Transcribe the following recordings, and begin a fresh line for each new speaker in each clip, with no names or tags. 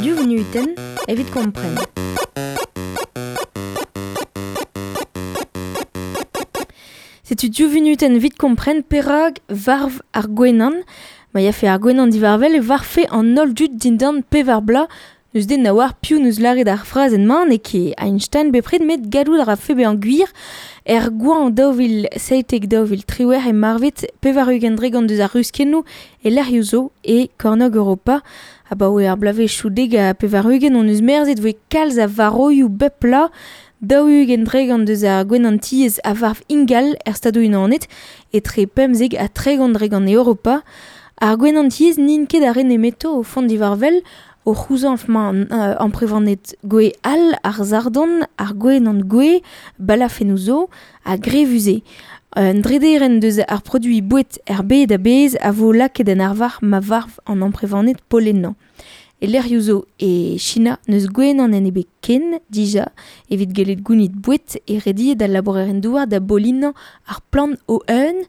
Div vunutenn evit kompren. Setu div vunutenn evit kompren perak varv ar gwenan. Ma yafe ar gwenan divarvel e varfe an holl dud dindan pevar bloaz. N'eus den na oar piv n'eus lâret ar frazenn-mañ n'eo ket Einstein bepred met gallout a rafe bezañ gwir. Er goañv 2017-2018 e marvet 80% deus ar ruskennoù e lec'hioù zo e kornôg Europa. Abaoe ar bloavezhioù 90 hon eus merzet voe kalz a varoioù bep bloaz. 20% deus ar gwenantiez a varv ingal er Stadoù-Unanet, etre 15 ha 30% e Europa. Ar gwenantiez n'int ket ar re nemeto o font divarvel, o c'houzañv mañ amprevaned gwe all, ar sardon, ar gwenan gwe, balafennoù zo, ha grevus eo. Un drederenn deus ar produiñ boued er bed a-bezh a vo lakaet en arvar ma varv an amprevaned polennañ. E lec'hioù zo e China n'eus gwenan en ebet ken dija evit gellet gounit boued e rediet al labourerien-douar da bolinañ ar plant o-un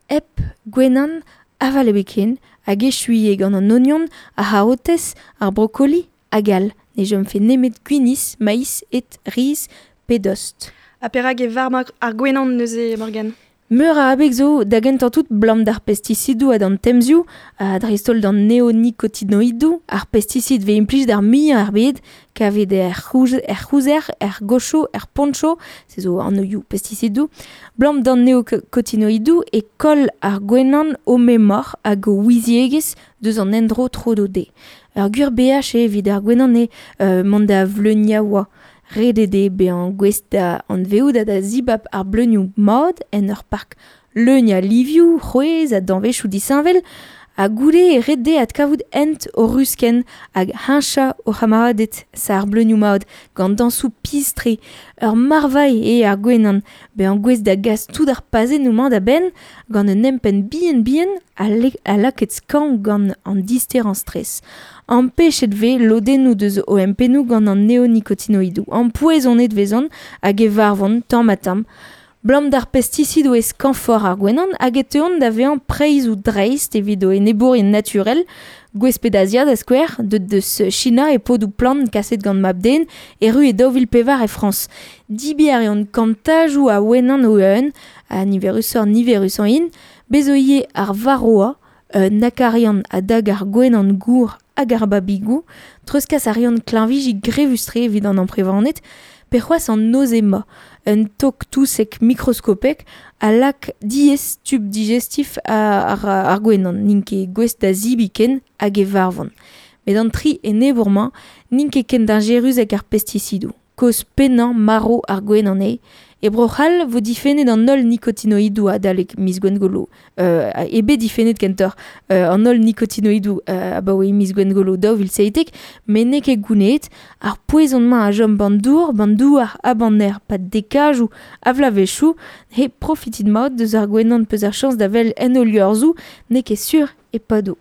hep gwenan aval ebet ken hag echuiñ eo gant an ognon, ar c'harotez, ar brokoli hag all. Ne chomfe nemet gwinizh, maiz, ed, riz pe dost.
Ha perak e varv ar gwenan neuze, Morgane?
Meur a abeg zo da gentañ tout 'blam d'ar pestisidoù ha d'an temzioù, ha dreist-holl d'an neonikotinoidoù, ar pestisid 'vez implijet ar muiañ er bed, kavet er c'houzer, er gocho, er poncho, se zo anvioù pestisidoù. 'Blam d'an neonikotinoidoù e koll ar gwenan o memor hag o ouiziegezh deus an endro tro-dro dezhe. Ur gwir beaj eo evit ar gwenan eo mont da vleuniaoua. Ret eo dezhe bezañ gouest da anvezout ha da zibab ar bleunioù mat en ur park leun a livioù, c'hwezh ha danvezioù disheñvel ha goude eo ret dezhe adkavout hent o ruskenn hag heñchañ o c'hamaraded sa ar bleunioù mat gant dañsoù pizh-tre. Ur marvailh eo ar gwenan, bezañ gouest da gas tout ar pazennoù-mañ da benn gant un empenn bihan-bihan ha lakaet skañv gant an disterañ stres. Ampechet 'vez lodennoù deus o empennoù gant an neonikotinoidoù. Ampoezonet 'vezont hag e varvont tamm-ha-tamm. 'Blam d'ar pestisidoù e skañvoc'h ar gwenan hag e teuont da vezañ preizhoù dreist evit o enebourien naturel, gwesped Azia da skouer, deuet deus China e podoù plant kaset gant mab-den, erru e 2004 e Frañs. Dibiñ a reont kantajoù a wenan o-un, ha niverusoc'h-niverusañ int, bez zo ivez ar varroa, un akarian a dag ar gwenan gour hag ar babigoù, treuzkas a reont klañviji grevus-tre evit an amprevaned, pe c'hoazh an nozema, un tok touseg mikroskopek a lak diaes tub digestif ar gwenan, n'int ket gouest da zebriñ ken hag e varvont. Met an tri enebour-mañ n'int ket ken dañjerus hag ar pestisidoù. Kaoz pennañ marv ar gwenan eo. E Bro-C'hall 'vo difennet an holl nikotinoidoù adalek miz Gwengolo. Eo bet difennet kentoc'h an holl nikotinoidoù abaoe miz Gwengolo 2017, met n'eo ket gounezet. Ar poezon-mañ a chom 'ban dour, 'ban douar ha 'ban aer 'pad dekajoù a vloavezhioù. He profitit mat deus ar gwenan 'peus ar chañs da wel en ho liorzhoù, n'eo ket sur e pado.